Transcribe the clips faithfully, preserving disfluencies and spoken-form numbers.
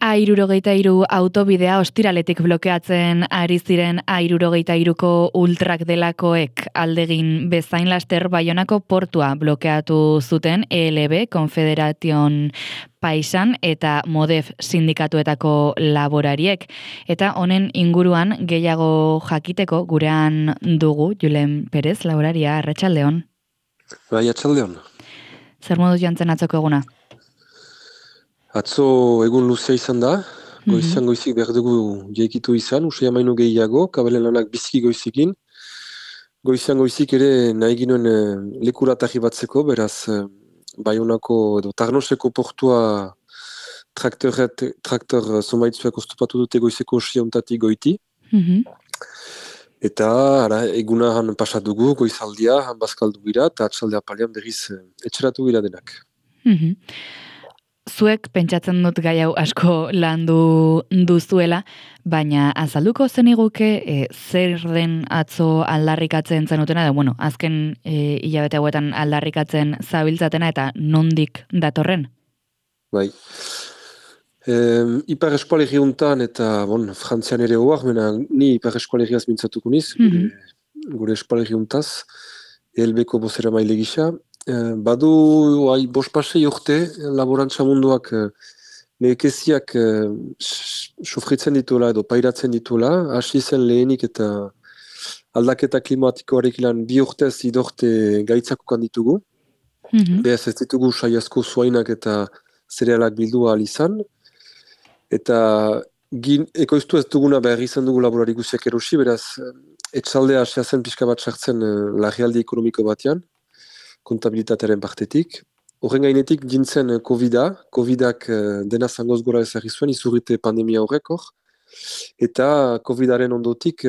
A hirurogeita hiru autobidea ostiraletik blokeatzen ari ziren A hirurogeita hiruko ultrak delakoek aldegin bezain laster Baionako portua blokeatu zuten E L B, Confederation Paisan eta Modef sindikatuetako laborariek. Eta honen inguruan gehiago jakiteko gurean dugu Julen Perez, laboraria, arratsaldeon. Bai, arratsaldeon. Zer moduz jantzen atzoko eguna? Atzo egun luzea izan da, goizan mm-hmm. goizik behar dugu jaikitu izan, usai amaino gehiago, kabelen lanak biziki goizikin. Goizan goizik ere nahi ginoen eh, lekura tahi batzeko, beraz eh, Baionako edo Tarnoseko portua traktoret, traktor zomaitzuak oztopatu dute goizeko osiontatik goiti. Mm-hmm. Eta ara, eguna han pasatugu, goizaldia, han bazkaldu gira, eta atxaldea palian berriz eh, etxeratu gira denak. Mm-hmm. Zuek pentsatzen dut gai hau asko landu duzuela, baina azalduko zeniguke e, zer den atzo aldarrikatzen zenutena, da, bueno, azken e, hilabete hauetan aldarrikatzen zabiltzatena eta nondik datorren? Bai. E, Ipar eskualegi untan eta, bon, Frantzian ere hoak, mena ni Ipar eskualegiaz mintzatuko niz, mm-hmm. gure, gure eskualegi untaz, E L B-ko bozera maile gisa. Uh, badu ai, bospasei urte laborantza munduak uh, nekeziak uh, sufritzen dituela edo pairatzen dituela, hasi zen lehenik eta aldaketa klimatikoarek ilan bi urtez idorte gaitzakokan ditugu. Mm-hmm. Beaz ez ditugu saiazko zuainak eta zerealak bildu ahal izan. Eta gin, ekoiztu ez duguna behar izan dugu laborari guziak erosi, beraz etxaldea asia zen pixka bat sartzen uh, larrialdi ekonomiko batean. Kontabilitatearen partetik. Horren gainetik jintzen Covida, Covidak dena zangoz gora ezagri zuen, izurrite pandemia horrek hor. Eta Covidaren ondotik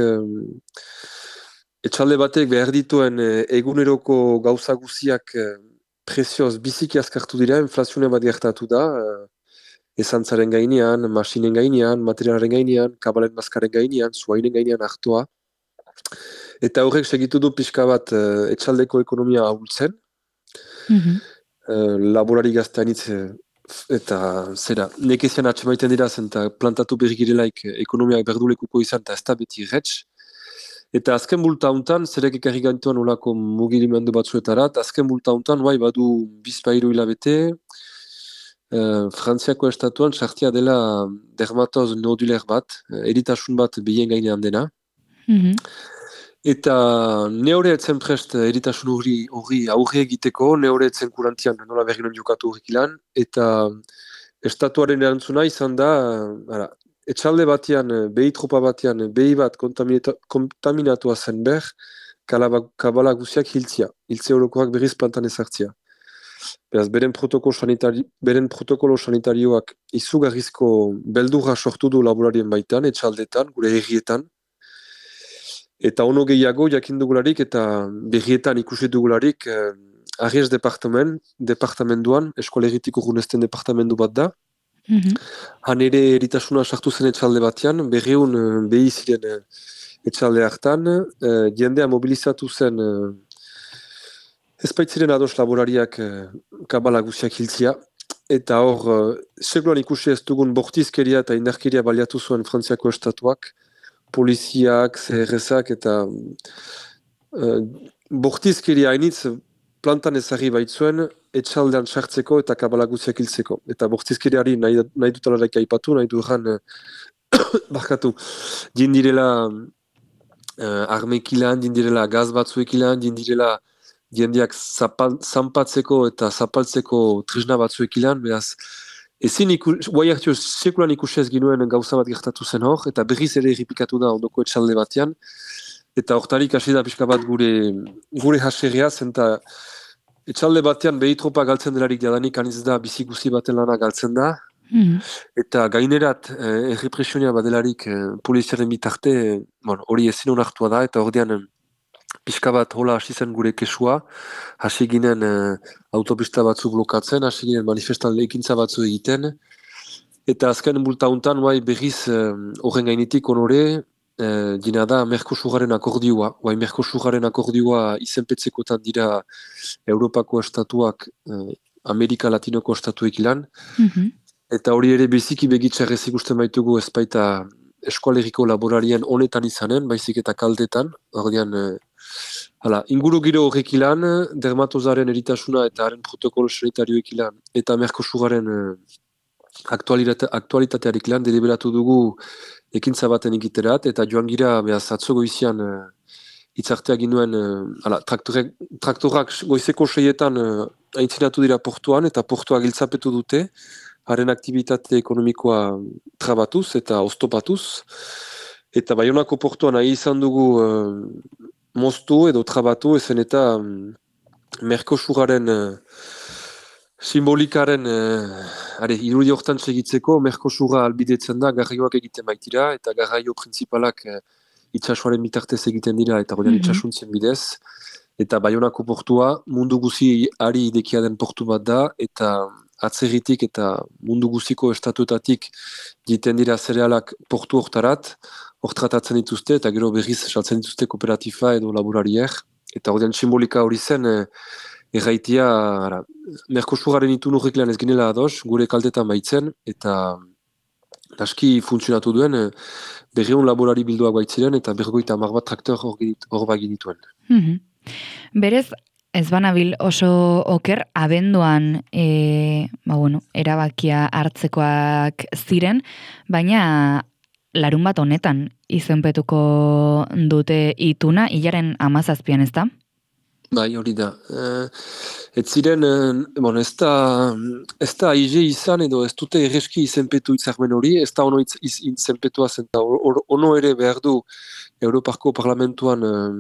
etxalde batek behar dituen eguneroko gauza guziak prezioz biziki azkartu dira, inflazione bat gertatu da, esantzaren gainean, masinen gainean, materialaren gainean, kabalen maskaren gainean, zuainen gainean hartua. Eta horrek segitu du pixka bat etxaldeko ekonomia ahultzen. Mm-hmm. Uh, laborari gazteanitz eta zera, nekezian atxemaiten dira zen eta plantatu berrikirelaik ekonomiak berdulekuko izan eta ez da beti retx. Eta azken bulta hontan, zerek ekarri gaintuan olako mugirimendu batzuetara, eta azken bulta hontan, bai, badu bizpairu hilabete, uh, Frantziako estatuan sartia dela dermatoz noduler bat, eritasun bat behien gainean dena. Mm-hmm. Eta neore etzen prest eritasun hori aurre egiteko, neore etzen kurantian nola berginen jokatu horrek ilan, eta estatuaren erantzuna izan da, ara, etxalde batean, behi tropa batean, behi bat kontaminatua zen ber, kabala guziak hiltzia, hiltze horokoak berriz plantan ezartzia. Beraz, beren protokolo, sanitari, beren protokolo sanitarioak izugarrizko beldurra sortu du laborarien baitan, etxaldetan, gure herrietan. Eta ono gehiago jakindugularik eta berrietan ikusi dugularik eh, Ariez departament, departamentuan, eskolegitik urgunezten departamentu bat da. Mm-hmm. Han ere eritasuna sartu zen etxalde batean, berreun eh, behi ziren eh, etxalde hartan, eh, jendea mobilizatu zen eh, ezpaitziren ados laborariak eh, kabala guziak hiltzia. Eta hor, eh, sekulan ikusi ez dugun bortizkeria eta indarkeria baliatu zuen Frantziako estatuak, poliziak, C R S-ak eta uh, bortizkeria hainitz plantan ezagri baitzuen etxaldean sartzeko eta kabala guziak hiltzeko. Eta bortizkeriari nahi, nahi dutalarik aipatu, nahi duran uh, barkatu. Dindirela uh, armekilan, dindirela gaz batzuekilan, dindirela jendeak zanpatzeko eta zapaltzeko trisna batzuekilan, beraz ezin ikus, guai hartio sekulan ikusez ginuen gauza bat gertatu zen hor, eta berriz ere erripikatu da ondoko etxalde batean, eta hortarik hasi da pixka bat gure, gure haserria, zenta etxalde batean behi tropa galtzen delarik jadanik aniz da bizi guzi baten lana galtzen da, mm. Eta gainerat eh, errepresionia badelarik eh, poliziaren bitarte, eh, bon, hori ezin onartua da, eta ordean pixka bat hola hasi zen gure kesua, hasi ginen uh, autopista batzu blokatzen, hasi ginen manifestan ekintza batzu egiten, eta azken bulta hontan bai berriz horren uh, gainetik onore, uh, dina da Merkosuraren akordioa, bai Merkosuraren akordioa izenpetzekotan dira Europako estatuak, uh, Amerika Latinoko estatuek ilan, mm-hmm. Eta hori ere biziki begitxarrez ikusten baitugu ez baita eskualeriko laborarien honetan izanen, baizik eta kaldetan. Ordean, eh, hala, inguru giro horrek ilan, dermatozaren eritasuna eta haren protokolo sanitarioek ilan, eta Mercosuraren eh, aktualitate, aktualitatearik lan deliberatu dugu ekintza baten egiterat, eta joan gira, behaz, atzo goizian eh, itzartea ginuen, eh, hala, traktorek, traktorak goizeko seietan eh, aintzinatu dira portuan, eta portua giltzapetu dute, haren aktivitate ekonomikoa trabatuz eta oztopatuz. Eta Baionako portuan nahi izan dugu uh, moztu edo trabatu, ezen eta um, Mercosuraren uh, simbolikaren uh, are, irudi hortan segitzeko, Mercosura albidetzen da garraioak egiten baitira, eta garraio principalak uh, itxasuaren bitartez egiten dira, eta godean mm -hmm. itxasuntzen bidez. Eta Baionako portua mundu guzi ari idekia den portu bat da, eta atzerritik eta mundu guziko estatuetatik jiten dira zerealak portu hortarat, hor tratatzen dituzte, eta gero berriz saltzen dituzte kooperatifa edo laborarier. Eta horrean simbolika hori zen, eh, erraitia, ara, Mercosuraren itun horrek lan ez ginela ados, gure kaltetan baitzen, eta aski funtzionatu duen, eh, berreun laborari bilduak baitziren, eta bergoita hamar bat traktor hor bagin dituen. Mm-hmm. Berez, ez banabil oso oker, abenduan e, ba bueno, erabakia hartzekoak ziren, baina larun bat honetan izenpetuko dute ituna, hilaren hamazazpian, ez da? Bai, hori da. Uh, ez ziren, uh, bon, ez da, ez da aize izan edo ez dute erreski izenpetu itzarmen hori, ez da ono iz, iz, izenpetua zen, ono ere behar du Europako Parlamentuan uh,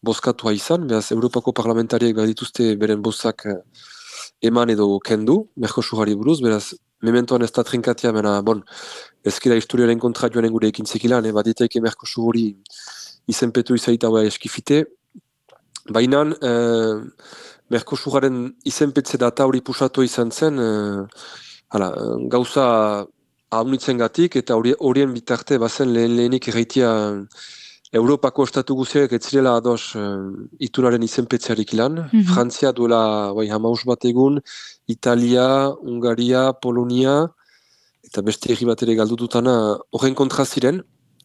bozkatua izan, behaz Europako parlamentariek behar dituzte beren bozak uh, eman edo kendu, Mercosurari buruz, beraz, mementoan ez da trinkatia, bena, bon, ezkira historiaren kontra joanen gure ekin zekilan, eh, bat ditaike Mercosur hori izenpetu izaita hoa eskifite. Baina, eh, Mercosuraren izenpetze data hori pusatu izan zen, eh, hala, gauza haunitzen gatik, eta horien bitarte bazen lehen lehenik erraitia Europako estatu guziak ez zirela ados uh, itunaren izenpetzearik ilan. Mm-hmm. Frantzia duela bai, hamaus bat egun, Italia, Ungaria, Polonia, eta beste herri bat ere galdututana horren kontra ziren.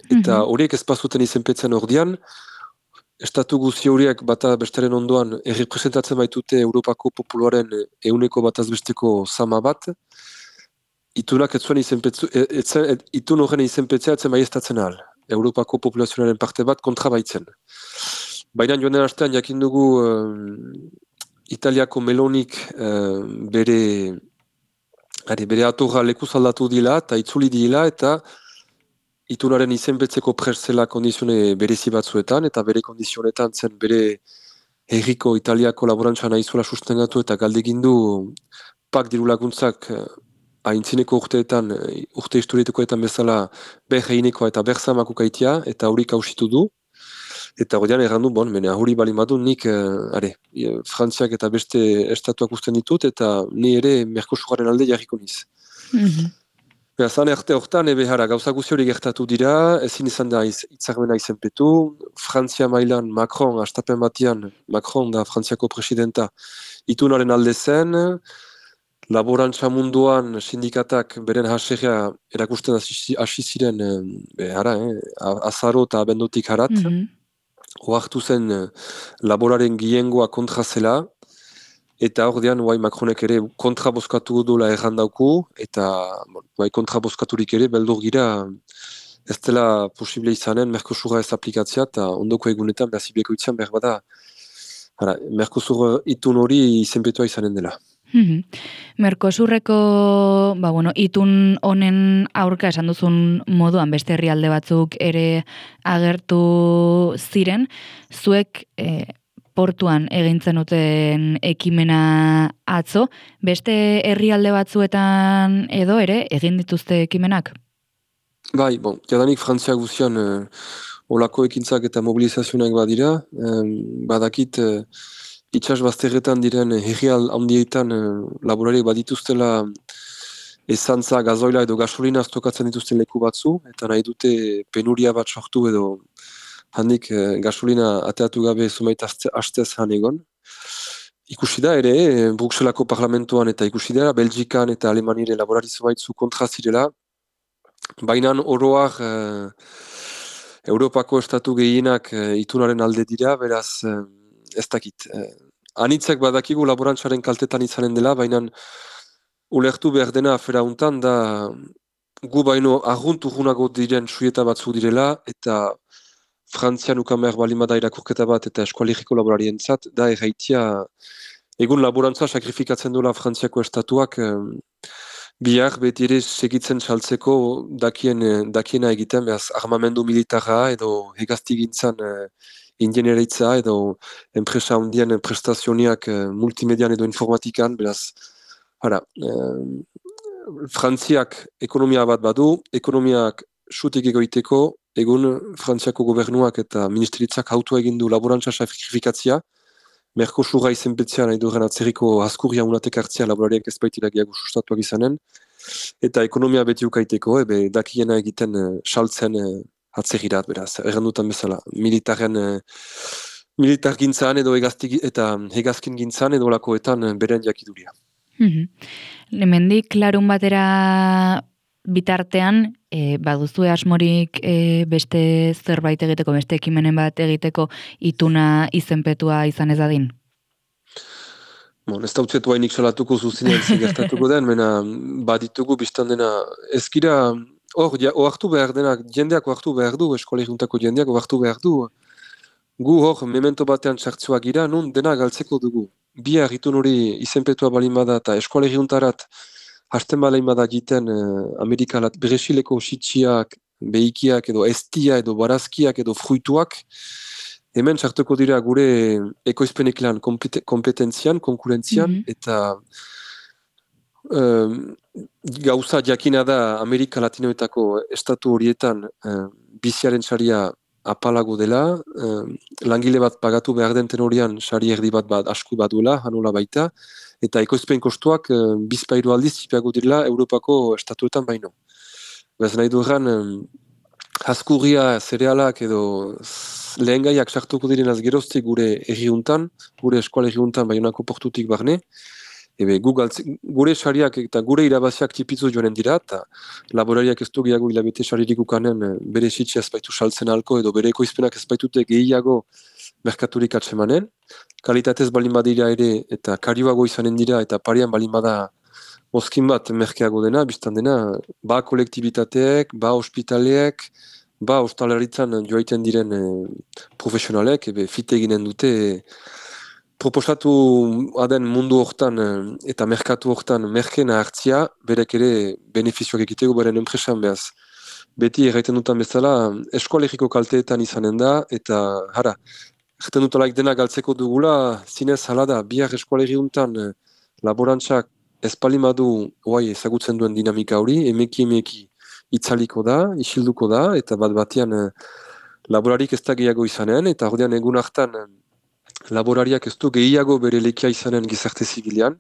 Eta horiek mm-hmm. ez bazuten izenpetzen ordian, estatu guzi horiek bata bestaren ondoan errepresentatzen baitute Europako populuaren euneko bataz besteko sama bat, itunak ez zuen izenpetzu, et, et, et, itun horren izenpetzea etzen baiestatzen ahal. Europako populazionaren parte bat kontra baitzen. Baina joan den astean jakin dugu uh, Italiako Melonik uh, bere, are, bere atorra lekuz aldatu dila eta itzuli dila eta itunaren izenpetzeko prestzela kondizione berezi batzuetan eta bere kondizionetan zen bere herriko Italiako laborantza nahizuela sustengatu eta galdegin du pak diru laguntzak uh, haintzineko urteetan, urte historietekoetan bezala berreinekoa eta berzamako kaitia, eta hori kausitu du. Eta horian errandu, bon, mene, hori bali madu, nik, uh, are, Frantziak eta beste estatuak usten ditut, eta ni ere Mercosuraren alde jarriko niz. Mm-hmm. Zan erte hortan, ebe jara, gauza guzi hori gertatu dira, ezin izan da itzarmena izenpetu, Frantzia mailan Macron, astapen batian, Macron da Frantziako presidenta, itunaren alde zen, laborantza munduan sindikatak beren haserria erakusten hasi ziren eh, ara, eh, azaro eta abendutik harat. Mm-hmm. Oartu zen eh, laboraren giengoa kontra zela, eta ordean guai Macronek ere kontra bozkatu dola errandauku, eta guai kontra bozkaturik ere beldur gira ez dela posible izanen Mercosura ez aplikatzea, eta ondoko egunetan behazibeko itzean behar bada Mercosur itun hori izenpetua izanen dela. Mm-hmm. Mercosurreko ba, bueno, itun honen aurka esan duzun moduan beste herrialde batzuk ere agertu ziren, zuek e, portuan egintzen duten ekimena atzo, beste herrialde batzuetan edo ere egin dituzte ekimenak? Bai, bon, jadanik Frantzia guzian eh, olako ekintzak eta mobilizazioak badira, eh, badakit eh, itxas bazterretan diren herrial handietan eh, laborariek badituztela ezantza, gazoila edo gasolina aztokatzen dituzten leku batzu, eta nahi dute penuria bat sortu edo handik eh, gasolina ateatu gabe zumait astez han egon. ikusi da ere, Bruxelako parlamentoan eta ikusi da, Belgikan eta Alemanire laborari zubaitzu kontra zirela, baina oroak eh, Europako estatu gehienak eh, itunaren alde dira, beraz eh, ez dakit. Eh, anitzek badakigu laborantzaren kaltetan izanen dela, baina ulertu behar dena afera untan da gu baino arguntu junago diren suieta batzuk direla, eta Frantzian ukan behar balimada irakurketa bat eta eskualigiko laborarien zat, da erraitia egun laborantza sakrifikatzen duela Frantziako estatuak eh, bihar beti ere segitzen saltzeko dakien, eh, dakiena egiten, behaz armamendu militarra edo hegaztigintzan eh, ingeniaritza edo enpresa hundien prestazioniak eh, multimedian edo informatikan, beraz, hara, eh, Frantziak ekonomia bat badu, ekonomiak sutik egoiteko, egun Frantziako gobernuak eta ministeritzak auto egin du laborantza sakrifikatzia, Merkosura izenpetzea nahi duren atzerriko askurria unatek hartzea laborariak ez baitira gehiago sustatuak izanen, eta ekonomia beti ukaiteko, ebe dakiena egiten uh, saltzen uh, atzerrirat, beraz, errandutan bezala, militaren uh, militar gintzan edo egazti, eta hegazkin gintzan edo lakoetan uh, beren jakiduria. Mm-hmm. Hemendik larun batera bitartean, e, baduzue asmorik e, beste zerbait egiteko, beste ekimenen bat egiteko ituna izenpetua izan ez dadin? Bon, ez da utzetu hainik salatuko zuzinean zigertatuko den, mena baditugu biztan dena ezkira, hor, ja, oartu behar denak, jendeak oartu behar du, eskola juntako jendeak oartu behar du, gu hor, memento batean txartzuak gira, nun dena galtzeko dugu. Bihar itun hori izenpetua balin bada eta eskola juntarat hasten balin bada egiten eh, Amerikalat Bresileko sitxiak, behikiak edo estia edo barazkiak edo fruituak, hemen sartuko dira gure ekoizpeneklan kompetentzian, konkurentzian, mm-hmm. eta um, gauza jakina da Amerika Latinoetako estatu horietan um, biziaren saria apalago dela, um, langile bat pagatu behar den tenorian sari erdi bat bat asku bat duela, hanola baita, eta ekoizpen kostuak um, bizpairu aldiz zipiago direla Europako estatuetan baino. Bez nahi duran, um, askurria, zerealak edo lehen gaiak sartuko direnaz geroztik gure erriuntan, gure eskola erriuntan baionako portutik barne, ebe gu galtze, gure sariak eta gure irabaziak tipitzu joanen dira, eta laborariak ez du gehiago hilabete saririk ukanen bere sitxe ezbaitu saltzen alko edo bere ekoizpenak ezbaitute gehiago merkaturik atsemanen, kalitatez balin badira ere eta karioago izanen dira eta parian balin bada mozkin bat merkeago dena, biztan dena, ba kolektibitateek, ba ospitaleek, ba ostalaritzan joaiten diren e, profesionalek, ebe fite eginen dute, e, proposatu aden mundu hortan e, eta merkatu hortan merkena hartzia, berek ere benefizioak egiteko beren enpresan behaz. Beti erraiten dutan bezala, eskoalegiko kalteetan izanen da, eta hara, erraiten dutalaik dena galtzeko dugula, zinez hala da, bihar eskoalegi untan e, laborantzak ezpalimadu oai ezagutzen duen dinamika hori, emeki emeki itzaliko da, isilduko da, eta bat batean eh, laborarik ez da gehiago izanen, eta ordean egun hartan eh, laborariak ez du gehiago bere lekia izanen gizarte zibilian,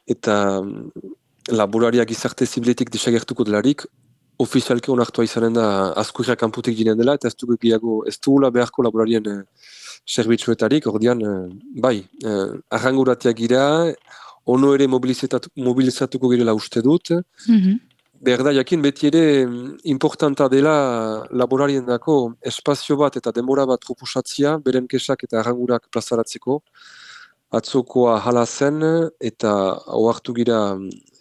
eta mm, laborariak gizarte zibiletik desagertuko delarik, ofizialke onartua izanen da askurriak kanputik ginen dela, eta ez du gehiago, ez dugula beharko laborarien eh, serbitzuetarik, ordean, eh, bai, eh, arranguratiak gira, ono ere mobilizatuko girela uste dut. Mm-hmm. Berda, jakin beti ere importanta dela laborarien dako espazio bat eta denbora bat proposatzia, beren kesak eta arrangurak plazaratzeko. Atzokoa hala zen eta ohartu gira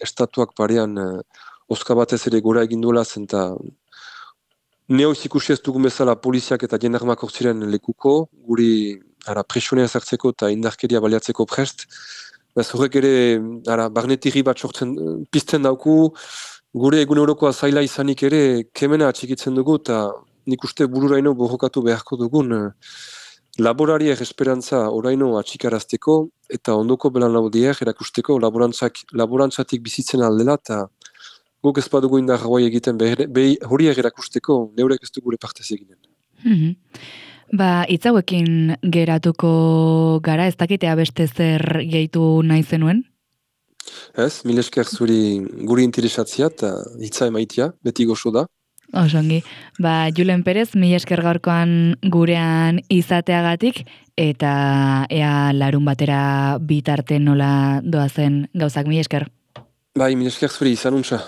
estatuak parean oska batez ere gora egin duela zen eta neoiz ikusi ez dugun bezala poliziak eta jendarmak hortziren lekuko, guri presionea zertzeko eta indarkeria baliatzeko prest. Bez horrek ere, ara, barnetiri bat sortzen, pizten dauku, gure egun eurokoa zaila izanik ere, kemena atxikitzen dugu, eta nik uste bururaino borrokatu beharko dugun, laborariek esperantza oraino atxikarazteko, eta ondoko belan laudiek erakusteko laborantzak, laborantzatik bizitzen aldela, eta guk ez badugu indar hauai egiten behi horiek erakusteko, neurek ez du gure partez eginen. Mm-hmm. Ba, itzauekin geratuko gara, ez dakitea beste zer gehitu nahi zenuen? Ez, mil esker zuri guri interesatzia eta hitza emaitia, beti gozo da. Osongi. Ba, Julen Perez, mila esker gaurkoan gurean izateagatik, eta ea larun batera bitarte nola doazen gauzak, mila esker. Bai, mila esker zuri, izan untsa.